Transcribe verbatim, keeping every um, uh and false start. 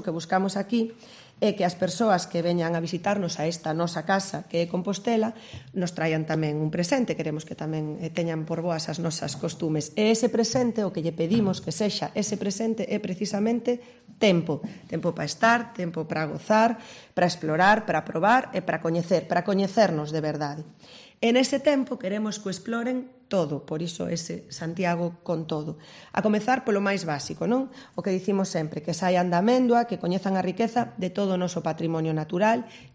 O que buscamos aquí é que as persoas que veñan a visitarnos a esta nosa casa que é Compostela nos traian tamén un presente, queremos que tamén teñan por boas as nosas costumes. E ese presente, o que lle pedimos que sexa ese presente é precisamente tempo. Tempo para estar, tempo para gozar, para explorar, para probar e para coñecer, para coñecernos de verdade. En ese tempo queremos que o exploren todo, por iso ese Santiago con todo. A comezar polo máis básico, non? O que dicimos sempre, que saian da Améndoa, que coñezan a riqueza de todo o noso patrimonio natural,